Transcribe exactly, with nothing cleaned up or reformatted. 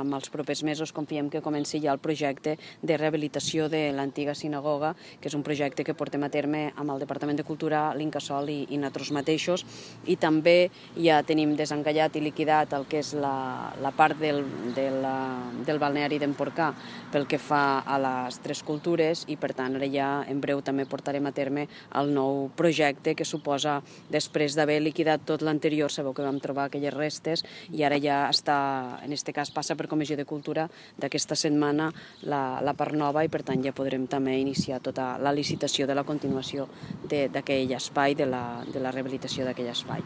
En els propers mesos confiem que comenci ja el projecte de rehabilitació de l'antiga sinagoga, que és un projecte que portem a terme amb el Departament de Cultura, l'Incasòl i, i nosaltres mateixos, i també ja tenim desencallat i liquidat el que és la, la part del, de la, del balneari d'Emporcà pel que fa a les tres cultures, i per tant ara ja en breu també portarem a terme el nou projecte que suposa, després d'haver liquidat tot l'anterior, sabeu que vam trobar aquelles restes, i ara ja està, en aquest cas passa per Comissió de Cultura d'aquesta setmana la, la part nova, i per tant ja podrem també iniciar tota la licitació de la continuació d'aquell espai, de la, de la rehabilitació d'aquell espai.